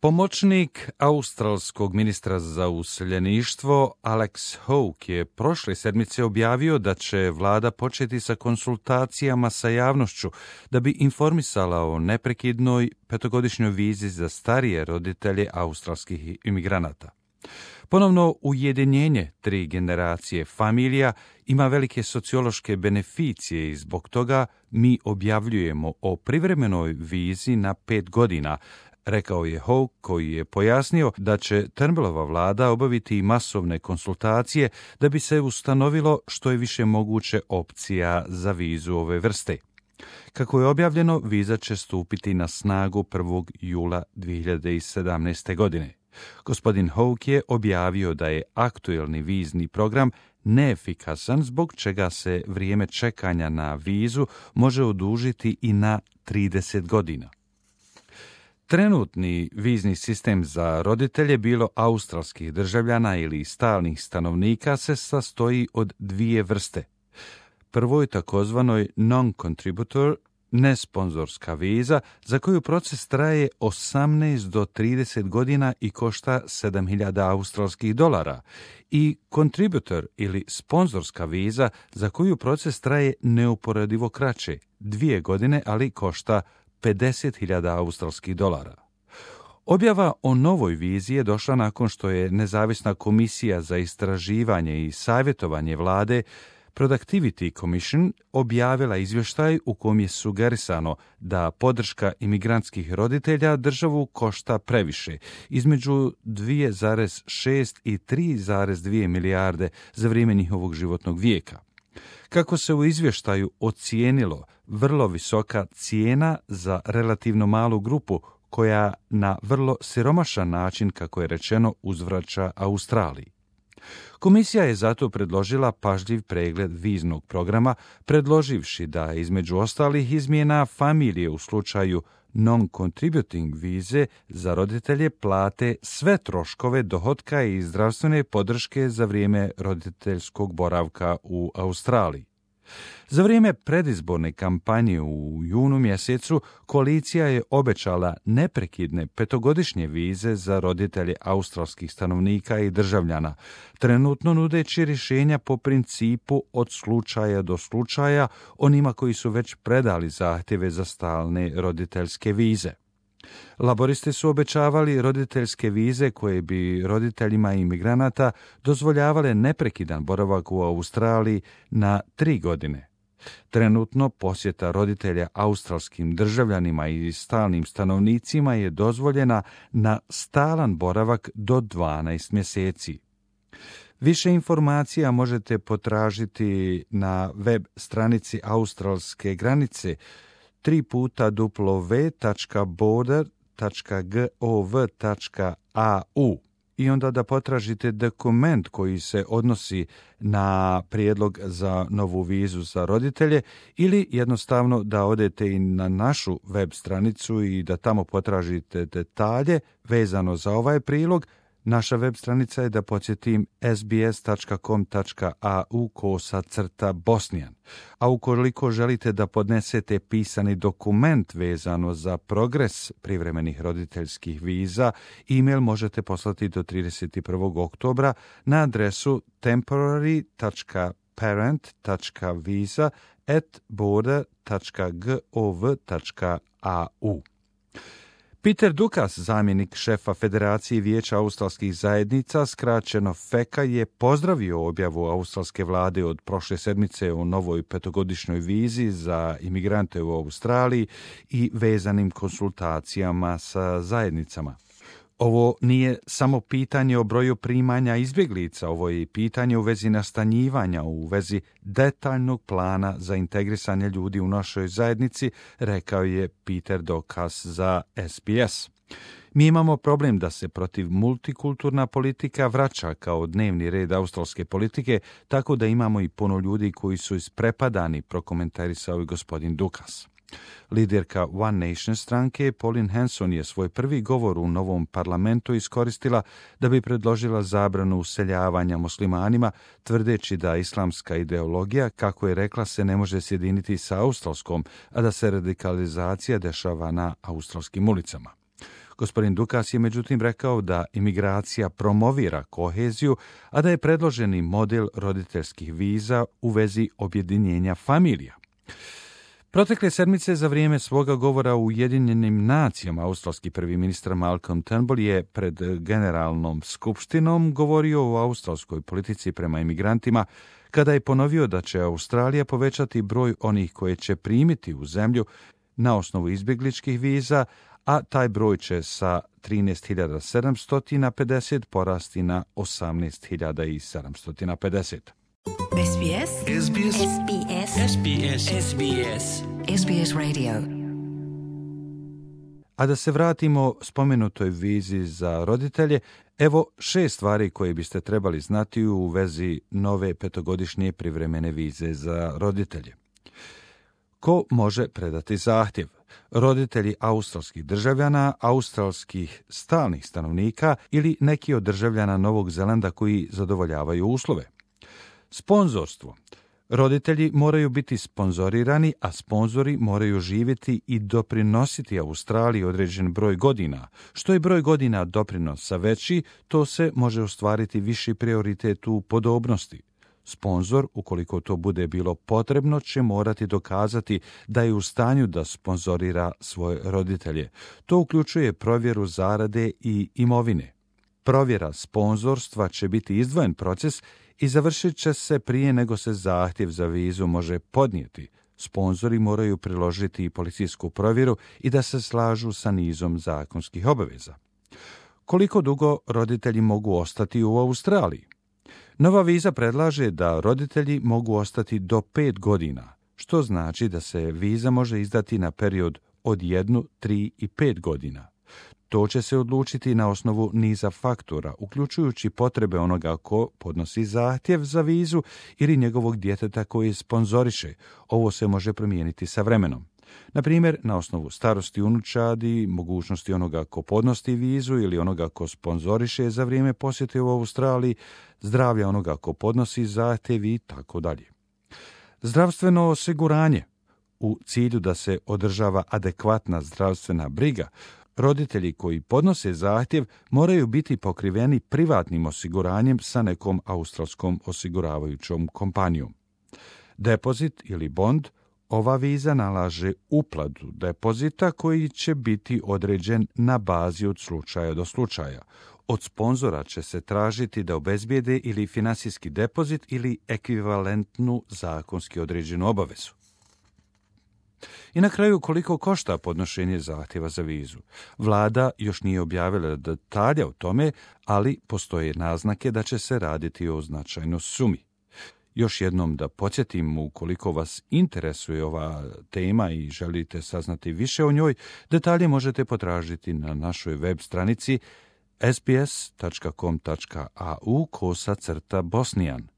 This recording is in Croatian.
Pomoćnik australskog ministra za useljeništvo Alex Hawke je prošle sedmice objavio da će vlada početi sa konsultacijama sa javnošću da bi informisala o neprekidnoj petogodišnjoj vizi za starije roditelje australskih imigranata. Ponovno ujedinjenje 3 generacije familija ima velike sociološke beneficije i zbog toga mi objavljujemo o privremenoj vizi na 5 godina, rekao je Hawke, koji je pojasnio da će Turnbullova vlada obaviti masovne konsultacije da bi se ustanovilo što je više moguće opcija za vizu ove vrste. Kako je objavljeno, viza će stupiti na snagu 1. jula 2017. godine. Gospodin Hawke je objavio da je aktuelni vizni program neefikasan, zbog čega se vrijeme čekanja na vizu može odužiti i na 30 godina. Trenutni vizni sistem za roditelje, bilo australskih državljana ili stalnih stanovnika, se sastoji od 2 vrste. Prvo je takozvanoj non-contributor, nesponzorska viza, za koju proces traje 18 do 30 godina i košta $7.000 australskih dolara, i contributor ili sponzorska viza, za koju proces traje neuporedivo kraće, 2 godine, ali košta $50.000 australskih dolara. Objava o novoj vizi je došla nakon što je nezavisna komisija za istraživanje i savjetovanje vlade Productivity Commission objavila izvještaj u kojem je sugerisano da podrška imigrantskih roditelja državu košta previše, između 2,6 i 3,2 milijarde za vrijeme njihovog životnog vijeka. Kako se u izvještaju ocijenilo, vrlo visoka cijena za relativno malu grupu koja na vrlo siromašan način, kako je rečeno, uzvraća Australiji. Komisija je zato predložila pažljiv pregled viznog programa, predloživši da između ostalih izmjena familije u slučaju non-contributing vize za roditelje plate sve troškove dohotka i zdravstvene podrške za vrijeme roditeljskog boravka u Australiji. Za vrijeme predizborne kampanje u junu mjesecu koalicija je obećala neprekidne 5-godišnje vize za roditelje australskih stanovnika i državljana, trenutno nudeći rješenja po principu od slučaja do slučaja onima koji su već predali zahtjeve za stalne roditeljske vize. Laboristi su obećavali roditeljske vize koje bi roditeljima imigranata dozvoljavale neprekidan boravak u Australiji na 3 godine. Trenutno posjeta roditelja australskim državljanima i stalnim stanovnicima je dozvoljena na stalan boravak do 12 mjeseci. Više informacija možete potražiti na web stranici australske granice www.border.gov.au i onda da potražite dokument koji se odnosi na prijedlog za novu vizu za roditelje, ili jednostavno da odete i na našu web stranicu i da tamo potražite detalje vezano za ovaj prilog. Naša web stranica je, da podsjetim, sbs.com.au/bosnian. A ukoliko želite da podnesete pisani dokument vezano za progres privremenih roditeljskih viza, e-mail možete poslati do 31. oktobra na adresu temporary.parent.visa@border.gov.au. Peter Dukas, zamjenik šefa Federacije vijeća australskih zajednica, skraćeno FECA, je pozdravio objavu australske vlade od prošle sedmice o novoj 5-godišnjoj vizi za imigrante u Australiji i vezanim konsultacijama sa zajednicama. Ovo nije samo pitanje o broju primanja izbjeglica, ovo je i pitanje u vezi nastanjivanja, u vezi detaljnog plana za integrisanje ljudi u našoj zajednici, rekao je Peter Dukas za SBS. Mi imamo problem da se protiv multikulturna politika vraća kao dnevni red australske politike, tako da imamo i puno ljudi koji su isprepadani, prokomentarisao je gospodin Dukas. Liderka One Nation stranke Pauline Hanson je svoj prvi govor u novom parlamentu iskoristila da bi predložila zabranu useljavanja muslimanima, tvrdeći da islamska ideologija, kako je rekla, se ne može sjediniti sa australskom, a da se radikalizacija dešava na australskim ulicama. Gospodin Dukas je međutim rekao da imigracija promovira koheziju, a da je predloženi model roditeljskih viza u vezi objedinjenja familija. Protekle sedmice za vrijeme svoga govora u Ujedinjenim nacijama australski prvi ministar Malcolm Turnbull je pred Generalnom skupštinom govorio o australskoj politici prema imigrantima, kada je ponovio da će Australija povećati broj onih koje će primiti u zemlju na osnovu izbjegličkih viza, a taj broj će sa 13.750 porasti na 18.750. SBS SBS SBS SBS SBS SBS Radio. A da se vratimo spomenutoj vizi za roditelje, evo 6 stvari koje biste trebali znati u vezi nove 5-godišnje privremene vize za roditelje. Ko može predati zahtjev? Roditelji australskih državljana, australskih stalnih stanovnika ili neki od državljana Novog Zelanda koji zadovoljavaju uslove. Sponzorstvo. Roditelji moraju biti sponzorirani, a sponzori moraju živjeti i doprinositi Australiji određen broj godina. Što je broj godina doprinosa veći, to se može ostvariti viši prioritet u podobnosti. Sponzor, ukoliko to bude bilo potrebno, će morati dokazati da je u stanju da sponzorira svoje roditelje. To uključuje provjeru zarade i imovine. Provjera sponzorstva će biti izdvojen proces i završit će se prije nego se zahtjev za vizu može podnijeti. Sponzori moraju priložiti i policijsku provjeru i da se slažu sa nizom zakonskih obaveza. Koliko dugo roditelji mogu ostati u Australiji? Nova viza predlaže da roditelji mogu ostati do 5 godina, što znači da se viza može izdati na period od 1, 3 i 5 godina. To će se odlučiti na osnovu niza faktora, uključujući potrebe onoga ko podnosi zahtjev za vizu ili njegovog djeteta koji sponzoriše. Ovo se može promijeniti sa vremenom. Na primjer, na osnovu starosti unučadi, mogućnosti onoga ko podnosi vizu ili onoga ko sponzoriše za vrijeme posjete u Australiji, zdravlja onoga ko podnosi zahtjev i tako dalje. Zdravstveno osiguranje. U cilju da se održava adekvatna zdravstvena briga, roditelji koji podnose zahtjev moraju biti pokriveni privatnim osiguranjem sa nekom australskom osiguravajućom kompanijom. Depozit ili bond. Ova viza nalaže uplatu depozita koji će biti određen na bazi od slučaja do slučaja. Od sponzora će se tražiti da obezbijede ili finansijski depozit ili ekvivalentnu zakonski određenu obavezu. I na kraju, koliko košta podnošenje zahtjeva za vizu? Vlada još nije objavila detalje o tome, ali postoje naznake da će se raditi o značajnoj sumi. Još jednom da podsjetim, ukoliko vas interesuje ova tema i želite saznati više o njoj, detalje možete potražiti na našoj web stranici sbs.com.au/bosnian.